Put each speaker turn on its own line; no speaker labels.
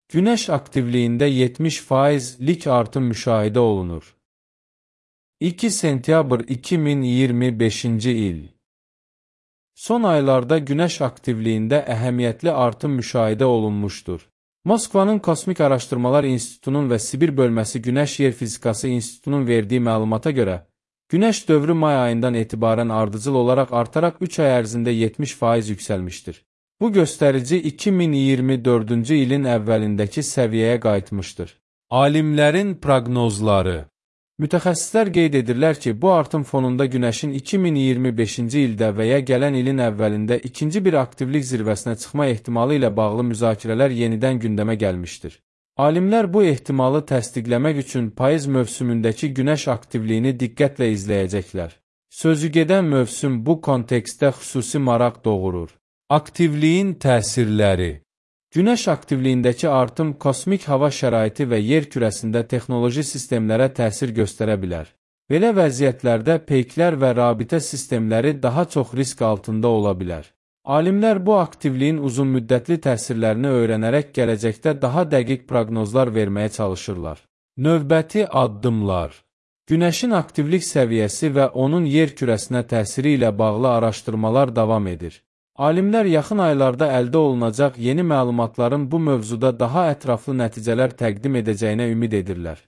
Günəş aktivliyində 70%lik artım müşahidə olunur. 2 sentyabr 2025-ci il. Son aylarda Günəş aktivliyində əhəmiyyətli artım müşahidə olunmuşdur. Moskvanın Kosmik Araşdırmalar İnstitutunun və Sibir bölməsi Günəş Yer Fizikası İnstitutunun verdiyi məlumata görə, Günəş dövrü may ayından etibarən ardıcıl olaraq artaraq 3 ay ərzində 70% yüksəlmişdir. Bu göstərici 2024-cü ilin əvvəlindəki səviyyəyə qayıtmışdır. Alimlərin proqnozları. Mütəxəssislər qeyd edirlər ki, bu artım fonunda Günəşin 2025-ci ildə və ya gələn ilin əvvəlində ikinci bir aktivlik zirvəsinə çıxma ehtimalı ilə bağlı müzakirələr yenidən gündəmə gəlmişdir. Alimlər bu ehtimalı təsdiqləmək üçün payız mövsümündəki Günəş aktivliyini diqqətlə izləyəcəklər. Sözügedən mövsüm bu kontekstdə xüsusi maraq doğurur. Aktivliyin təsirləri. Günəş aktivliyindəki artım kosmik hava şəraiti və yer kürəsində texnoloji sistemlərə təsir göstərə bilər. Belə vəziyyətlərdə peyklər və rabitə sistemləri daha çox risk altında ola bilər. Alimlər bu aktivliyin uzunmüddətli təsirlərini öyrənərək gələcəkdə daha dəqiq proqnozlar verməyə çalışırlar. Növbəti addımlar. Günəşin aktivlik səviyyəsi və onun yer kürəsinə təsiri ilə bağlı araşdırmalar davam edir. Alimlər yaxın aylarda əldə olunacaq yeni məlumatların bu mövzuda daha ətraflı nəticələr təqdim edəcəyinə ümid edirlər.